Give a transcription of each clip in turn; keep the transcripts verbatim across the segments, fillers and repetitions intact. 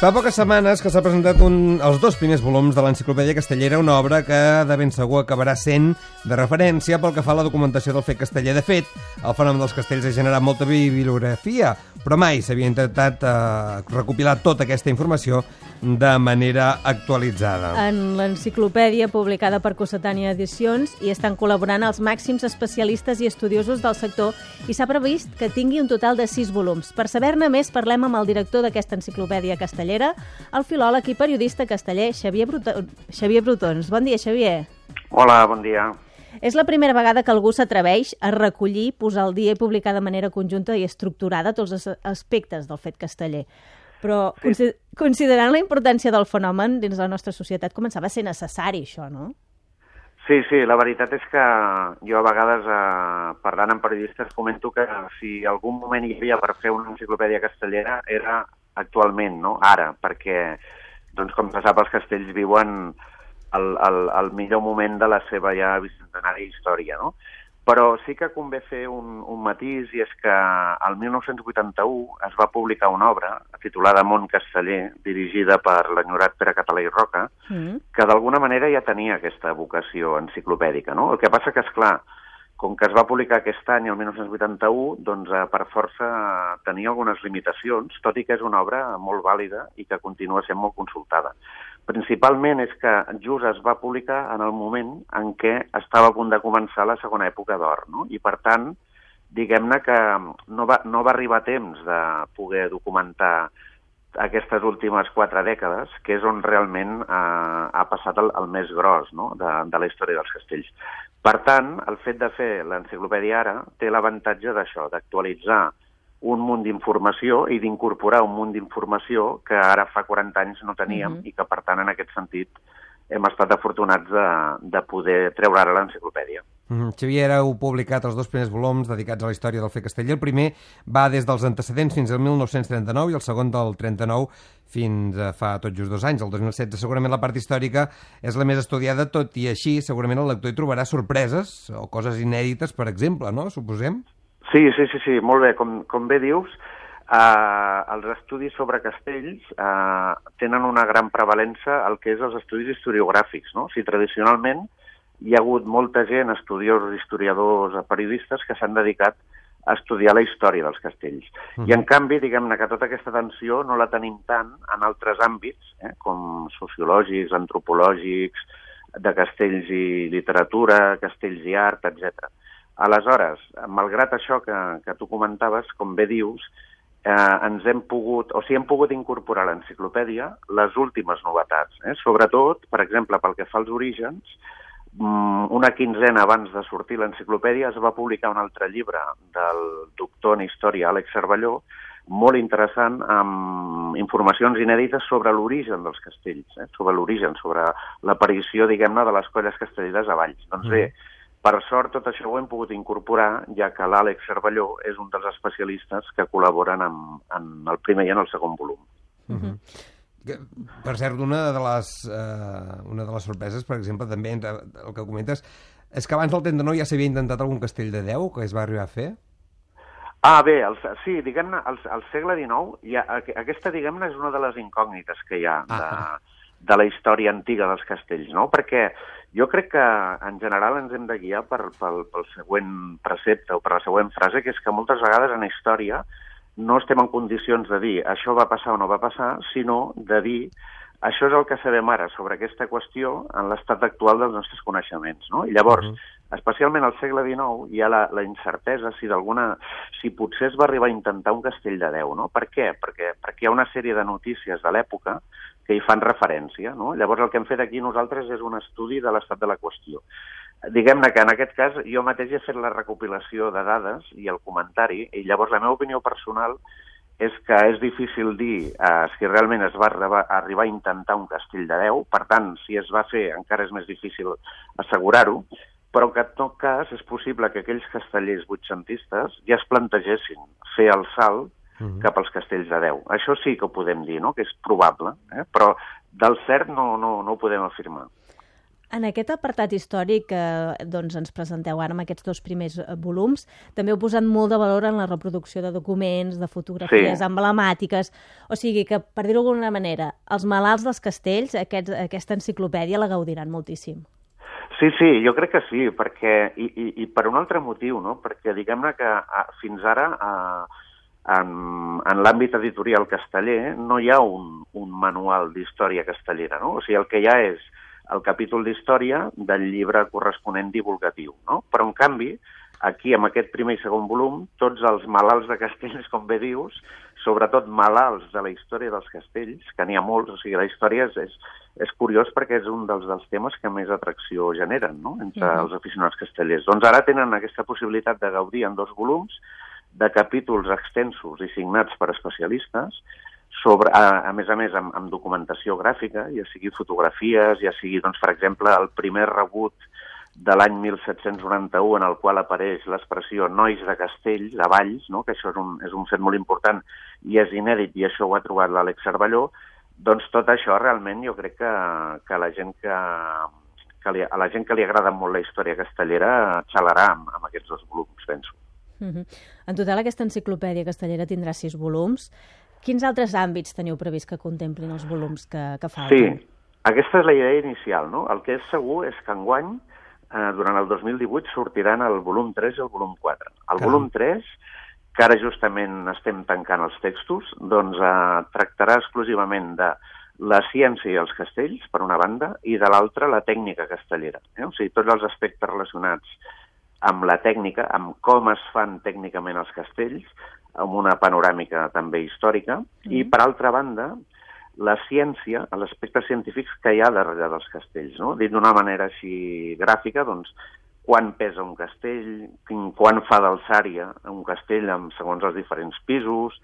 Fa poques setmanes que s'ha presentat un, els dos primers volums de l'Enciclopèdia Castellera, una obra que de ben segur acabarà sent de referència pel que fa a la documentació del fet casteller. De fet, el fenomen dels castells ha generat molta bibliografia, però mai s'havia intentat eh, recopilar tota aquesta informació de manera actualitzada. En l'enciclopèdia, publicada per Cossetània Edicions, hi estan col·laborant els màxims especialistes i estudiosos del sector i s'ha previst que tingui un total de sis volums. Per saber-ne més, parlem amb el director d'aquesta enciclopèdia castellera, el filòleg i periodista casteller Xavier Bruton. Xavier Brutons. Bon dia, Xavier. Hola, bon dia. És la primera vegada que algú s'atreveix a recollir, posar al dia i publicar de manera conjunta i estructurada tots els aspectes del fet casteller. Però, sí. Considerant la importància del fenomen dins la nostra societat, començava a ser necessari això, no? Sí, sí, la veritat és que jo a vegades, eh, parlant amb periodistes, comento que si algun moment hi havia per fer una enciclopèdia castellera era actualment, no? Ara, perquè, doncs, com se sap, els castells viuen el, el, el millor moment de la seva ja bicentenària història, no? Però sí que convé fer un, un matís, i és que el mil nou-cents vuitanta-u es va publicar una obra titulada Món Casteller, dirigida per l'enyorat Pere Català i Roca, mm. que d'alguna manera ja tenia aquesta vocació enciclopèdica, no? El que passa que, esclar, com que es va publicar aquest any, el mil nou-cents vuitanta-u, doncs eh, per força tenia algunes limitacions, tot i que és una obra molt vàlida i que continua sent molt consultada. Principalment és que just es va publicar en el moment en què estava a punt de començar la segona època d'or, no? I per tant, diguem-ne que no va, no va arribar temps de poder documentar aquestes últimes quatre dècades, que és on realment eh, ha passat el, el més gros, no? de, de la història dels castells. Per tant, el fet de fer l'enciclopèdia ara té l'avantatge d'això, d'actualitzar un munt d'informació i d'incorporar un munt d'informació que ara fa quaranta anys no teníem mm-hmm. i que, per tant, en aquest sentit, hem estat afortunats de, de poder treure ara l'enciclopèdia. Mm-hmm. Xavier, heu publicat els dos primers volums dedicats a la història del fet casteller. El primer va des dels antecedents fins al mil nou-cents trenta-nou i el segon del trenta-nou fins a fa tot just dos anys, el dos mil setze. Segurament la part històrica és la més estudiada, tot i així segurament el lector hi trobarà sorpreses o coses inèdites, per exemple, no? Suposem? Sí, sí, sí, sí, molt bé. Com, com bé dius, eh, els estudis sobre castells eh, tenen una gran prevalença al que és els estudis historiogràfics, no? O sigui, tradicionalment hi ha hagut molta gent, estudiosos, historiadors, periodistes, que s'han dedicat a estudiar la història dels castells. Uh-huh. I, en canvi, diguem-ne que tota aquesta atenció no la tenim tant en altres àmbits, eh, com sociològics, antropològics, de castells i literatura, castells i art, etcètera. Aleshores, malgrat això que, que tu comentaves, com bé dius, eh, ens hem pogut, o sigui, hem pogut incorporar a l'enciclopèdia les últimes novetats. Eh? Sobretot, per exemple, pel que fa als orígens, una quinzena abans de sortir l'enciclopèdia es va publicar un altre llibre del doctor en història Àlex Cervelló, molt interessant, amb informacions inèdites sobre l'origen dels castells, eh? sobre l'origen, sobre l'aparició, diguem-ne, de les colles castelleres a Valls. Doncs bé, per sort, tot això ho hem pogut incorporar, ja que l'Àlex Cervelló és un dels especialistes que col·laboren en, en el primer i en el segon volum. Uh-huh. Per cert, una de les, eh, una de les sorpreses, per exemple, també el que comentes, és que abans del trenta-nou ja s'havia intentat algun castell de deu que es va arribar a fer? Ah, bé, el, sí, diguem-ne, al, al segle dinou, ja, aquesta, diguem-ne, és una de les incògnites que hi ha de, ah. de la història antiga dels castells, no? Perquè jo crec que, en general, ens hem de guiar per, pel, pel següent precepte o per la següent frase, que és que moltes vegades en història no estem en condicions de dir això va passar o no va passar, sinó de dir això és el que sabem ara sobre aquesta qüestió en l'estat actual dels nostres coneixements, no? I llavors, uh-huh. especialment al segle dinou, hi ha la, la incertesa si d'alguna, si potser es va arribar a intentar un castell de deu, no? Per què? Perquè, perquè hi ha una sèrie de notícies de l'època que hi fan referència, no? Llavors el que hem fet aquí nosaltres és un estudi de l'estat de la qüestió. Diguem-ne que en aquest cas jo mateix he fet la recopilació de dades i el comentari, i llavors la meva opinió personal és que és difícil dir eh, si realment es va arribar, arribar a intentar un castell de deu, per tant, si es va fer encara és més difícil assegurar-ho, però que en tot cas és possible que aquells castellers vuitcentistes ja es plantegessin fer el salt uh-huh. cap als castells de deu. Això sí que ho podem dir, no? Que és probable, eh? Però del cert no, no, no ho podem afirmar. En aquest apartat històric que doncs, ens presenteu ara amb aquests dos primers volums, també heu posat molt de valor en la reproducció de documents, de fotografies Sí. emblemàtiques, o sigui que, per dir-ho d'alguna manera, els malalts dels castells, aquests, aquesta enciclopèdia la gaudiran moltíssim. Sí, sí, jo crec que sí, perquè, i, i, i per un altre motiu, no? Perquè diguem-ne que a, fins ara a, en, en l'àmbit editorial casteller no hi ha un, un manual d'història castellera, no? O sigui, el que hi ha és el capítol d'història del llibre corresponent divulgatiu, no? Però, en canvi, aquí, amb aquest primer i segon volum, tots els malalts de castells, com bé dius, sobretot malalts de la història dels castells, que n'hi ha molts, o sigui, la història és, és, és curiós perquè és un dels, dels temes que més atracció generen, no?, entre uh-huh. els aficionats castellers. Doncs ara tenen aquesta possibilitat de gaudir en dos volums de capítols extensos i signats per especialistes, sobre, a, a més a més, amb, amb documentació gràfica, ja sigui fotografies, ja sigui, doncs, per exemple, el primer rebut de l'any mil set-cents noranta-u en el qual apareix l'expressió nois de castells, a Valls, no? Que això és un, és un fet molt important i és inèdit, i això ho ha trobat l'Àlex Cervelló. Doncs tot això realment jo crec que, que, la gent que, que li, a la gent que li agrada molt la història castellera xalarà amb, amb aquests dos volums, penso. Uh-huh. En total, aquesta enciclopèdia castellera tindrà sis volums. Quins altres àmbits teniu previst que contemplin els volums que, que falten? Sí, aquesta és la idea inicial, no? El que és segur és que enguany, eh, durant el dos mil divuit, sortiran el volum tres i el volum quatre. El Caram. volum tres, que ara justament estem tancant els textos, doncs eh, tractarà exclusivament de la ciència i els castells, per una banda, i de l'altra la tècnica castellera. Eh? O sigui, tots els aspectes relacionats amb la tècnica, amb com es fan tècnicament els castells, amb una panoràmica també històrica, mm. i, per altra banda, la ciència, els aspectes científics que hi ha darrere dels castells, no? Dit d'una manera així gràfica, doncs, quan pesa un castell, quan fa d'alçària un castell amb, segons els diferents pisos,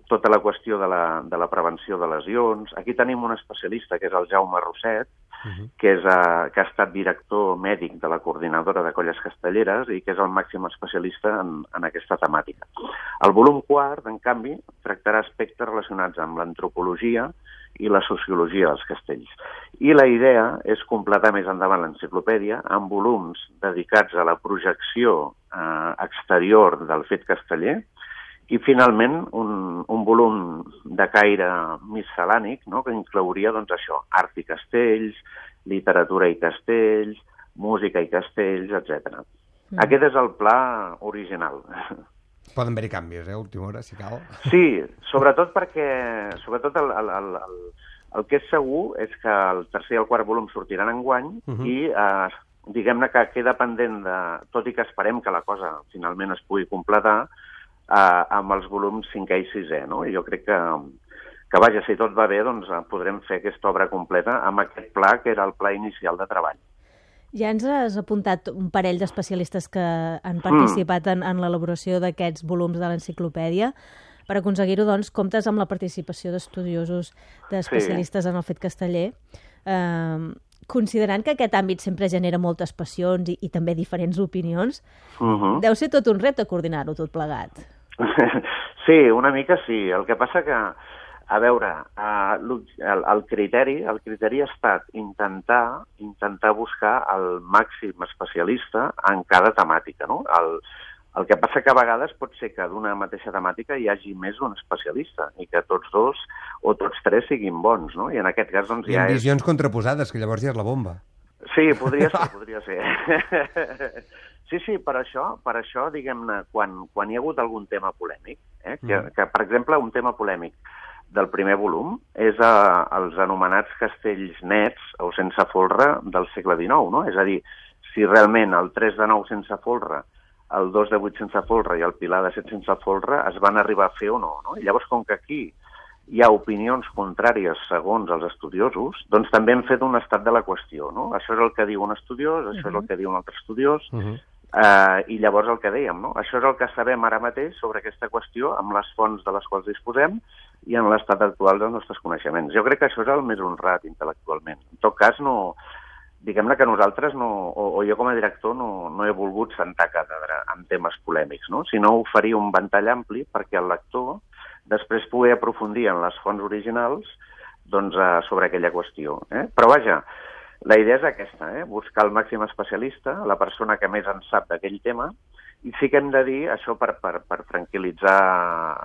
tota la qüestió de la, de la prevenció de lesions. Aquí tenim un especialista, que és el Jaume Rosset, uh-huh. que, és, uh, que ha estat director mèdic de la coordinadora de colles castelleres i que és el màxim especialista en, en aquesta temàtica. El volum quart, en canvi, tractarà aspectes relacionats amb l'antropologia i la sociologia dels castells. I la idea és completar més endavant l'enciclopèdia amb volums dedicats a la projecció eh, exterior del fet casteller, i, finalment, un, un volum de caire miscel·lànic, no?, que inclouria, doncs, això, art i castells, literatura i castells, música i castells, etcètera. Mm. Aquest és el pla original. Poden haver-hi canvis, eh, a última hora, si cal. Sí, sobretot perquè, sobretot el, el, el, el, el que és segur és que el tercer i el quart volum sortiran enguany, uh-huh. i eh, diguem-ne que queda pendent de, tot i que esperem que la cosa finalment es pugui completar, Uh, amb els volums cinquè i sisè, no? I jo crec que, que, vaja, si tot va bé, doncs podrem fer aquesta obra completa amb aquest pla, que era el pla inicial de treball. Ja ens has apuntat un parell d'especialistes que han participat mm. en, en l'elaboració d'aquests volums de l'enciclopèdia. Per aconseguir-ho, doncs, comptes amb la participació d'estudiosos, d'especialistes sí. en el fet casteller. Uh, considerant que aquest àmbit sempre genera moltes passions i, i també diferents opinions, uh-huh. deu ser tot un repte coordinar-ho tot plegat. Sí, una mica sí. El que passa que, a veure, uh, el, el, criteri, el criteri ha estat intentar, intentar buscar el màxim especialista en cada temàtica, no? El, el que passa que a vegades pot ser que d'una mateixa temàtica hi hagi més d'un especialista i que tots dos o tots tres siguin bons, no? I en aquest cas, doncs, I ja en és... visions contraposades, que llavors ja és la bomba. Sí, podria ser, podria ser. Sí, sí, per això, per això diguem-ne, quan, quan hi ha hagut algun tema polèmic, eh, que, mm. que, per exemple, un tema polèmic del primer volum és a, els anomenats castells nets o sense folre del segle dinou, no? És a dir, si realment el tres de nou sense folre, el dos de vuit sense folre i el pilar de set sense folre es van arribar a fer o no, no? I llavors, com que aquí hi ha opinions contràries segons els estudiosos, doncs també hem fet un estat de la qüestió, no? Això és el que diu un estudiós, això uh-huh. és el que diu un altre estudiós, uh-huh. eh, i llavors el que dèiem, no? Això és el que sabem ara mateix sobre aquesta qüestió amb les fonts de les quals disposem i en l'estat actual dels nostres coneixements. Jo crec que això és el més honrat intel·lectualment. En tot cas, no... Diguem-ne que nosaltres, no, o, o jo com a director, no, no he volgut sentar càtedra en temes polèmics, no? Sinó oferir un ventall ampli perquè el lector després pugui aprofundir en les fonts originals doncs, eh, sobre aquella qüestió. Eh? Però vaja, La idea és aquesta, eh? Buscar el màxim especialista, la persona que més en sap d'aquell tema, i sí que hem de dir, això per, per, per tranquil·litzar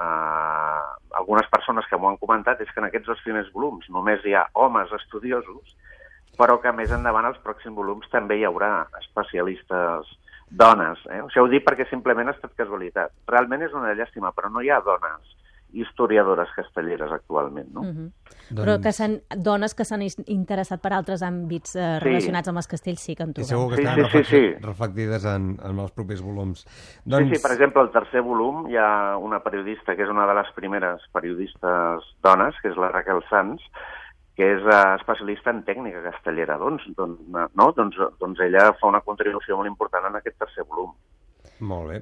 eh, algunes persones que m'ho han comentat, és que en aquests dos primers volums només hi ha homes estudiosos, però que més endavant als pròxims volums també hi haurà especialistes dones. Eh? Això ho dic perquè simplement ha estat casualitat. Realment és una llàstima, però no hi ha dones historiadores castelleres actualment, no? Uh-huh. Doncs... Però que s'han, dones que s'han interessat per altres àmbits eh, sí. relacionats amb els castells sí que en trobem. I segur que sí, estan sí, sí, sí. reflectides en, en els propers volums. Doncs... Sí, sí, per exemple, al tercer volum hi ha una periodista que és una de les primeres periodistes dones, que és la Raquel Sanz, que és uh, especialista en tècnica castellera. Doncs, doncs, no? doncs, doncs ella fa una contribució molt important en aquest tercer volum. Molt bé.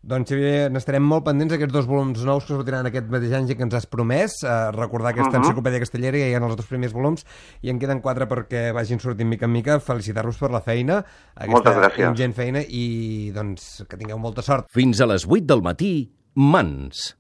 Doncs, Xavier, n'estarem molt pendents d'aquests dos volums nous que sortiran aquest mateix any i que ens has promès. Uh, recordar aquesta uh-huh. enciclopèdia castellera, ja hi ha els dos primers volums i en queden quatre perquè vagin sortint mica en mica. Felicitar-vos per la feina, aquesta ingent feina, i doncs que tingueu molta sort. Fins a les vuit del matí, Mans.